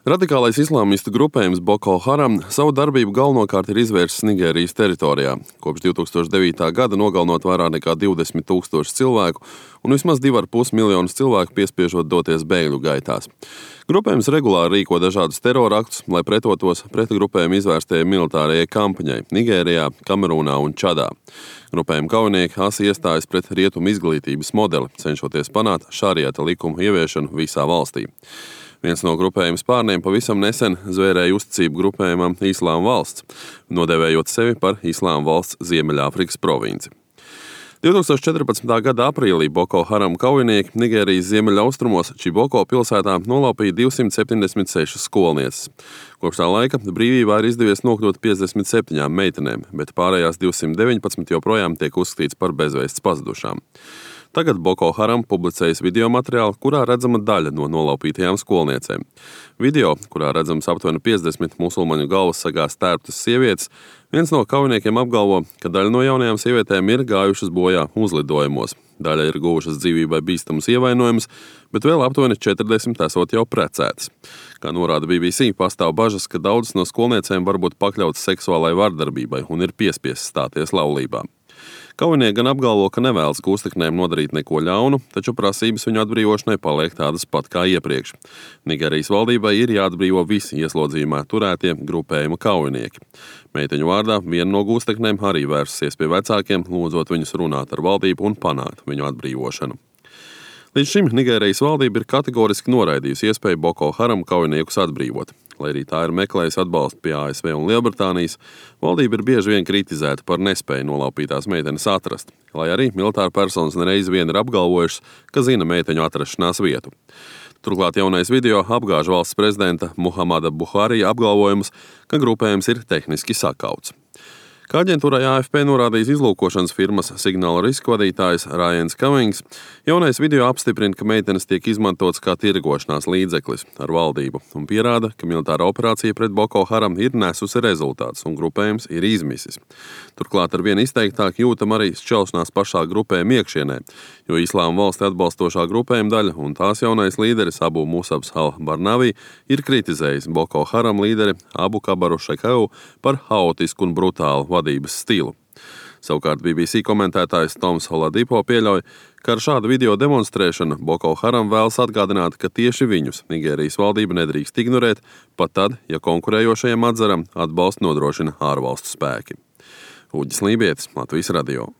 Radikālais islāmistu grupējums Boko Haram savu darbību galvenokārt ir izvērsis Nigērijas teritorijā. Kopš 2009. gada nogalinot vairāk nekā 20 000 cilvēku un vismaz 2,5 miljonus cilvēku piespiežot doties bēgļu gaitās. Grupējums regulāri rīko dažādus teroraktus, lai pretotos pret grupējumu izvērstajai militārajai kampaņai Nigērijā, Kamerūnā un Čadā. Grupējuma kaujinieki asi iestājas pret rietumu izglītības modeli, cenšoties panākt šariata likumu ieviešanu visā valstī. Viens no grupējuma spārniem pavisam nesen zvērēja uzticību grupējumam Islāma valsts, nodēvējot sevi par Islāma valsts Ziemeļāfrikas provinci. 2014. gada aprīlī Boko Haram kaujinieki Nigērijas ziemeļaustrumos Čiboko pilsētā nolaupīja 276 skolnieces. Kopš tā laika brīvībā ir izdevies nokļūt 57 meitenēm, bet pārējās 219 joprojām tiek uzskatīts par bezvēsts pazudušām. Tagad Boko Haram publicējas video materiālu, kurā redzama daļa no nolaupītajām skolniecēm. Video, kurā redzams aptuveni 50 musulmaņu galvas sagā stērptas sievietes, viens no kaujiniekiem apgalvo, ka daļa no jaunajām sievietēm ir gājušas bojā uzlidojumos. Daļa ir guvušas dzīvībai bīstamus ievainojumus, bet vēl aptuveni 40 esot jau precētas. Kā norāda BBC, pastāv bažas, ka daudzas no skolniecēm var būt pakļautas seksuālai vardarbībai un ir piespiestas stāties laulībā. Kaujinieki gan apgalvo, ka nevēlas gūsteknēm nodarīt neko ļaunu, taču prasības viņu atbrīvošanai paliek tādas pat kā iepriekš. Nigērijas valdībai ir jāatbrīvo visi ieslodzījumā turētie grupējuma kaujinieki. Meiteņu vārdā viena no gūsteknēm arī vērsusies pie vecākiem, lūdzot viņus runāt ar valdību un panākt viņu atbrīvošanu. Līdz šim Nigērijas valdība ir kategoriski noraidījusi iespēju Boko Haram kaujiniekus atbrīvot. Lai arī tā ir meklējusi atbalstu pie ASV un Lielbritānijas, valdība ir bieži vien kritizēta par nespēju nolaupītās meitenes atrast, lai arī militāra personas nereiz vien ir apgalvojušas, ka zina meiteņu atrašanās vietu. Turklāt jaunais video apgāž valsts prezidenta Muhamada Buhari apgalvojumus, ka grupējums ir tehniski sakauts. Kā aģentūrai AFP norādījis izlūkošanas firmas Signal Risk vadītājs Ryans Cummings, jaunais video apstiprina, ka meitenes tiek izmantots kā tirgošanās līdzeklis ar valdību un pierāda, ka militāra operācija pret Boko Haram ir nesusi rezultātus un grupējums ir izmisis. Turklāt ar vien izteiktāk jūtam arī šķelšanās pašā grupējuma iekšienē, jo Islāma valsti atbalstošā grupējuma daļa un tās jaunais līderis Abu Musabs al-Barnavi ir kritizējis Boko Haram līderi Abu Kabaru Šekau par haotisku un brutālu vadības stilu. Savukārt BBC komentētājs Toms Holadipo pieļauj, ka ar šādu video demonstrēšanu Boko Haram vēlas atgādināt, ka tieši viņus Nigērijas valdība nedrīkst ignorēt, pat tad, ja konkurējošajam atzaram atbalstu nodrošina ārvalstu spēki. Uģis Lībietis, Latvijas radio.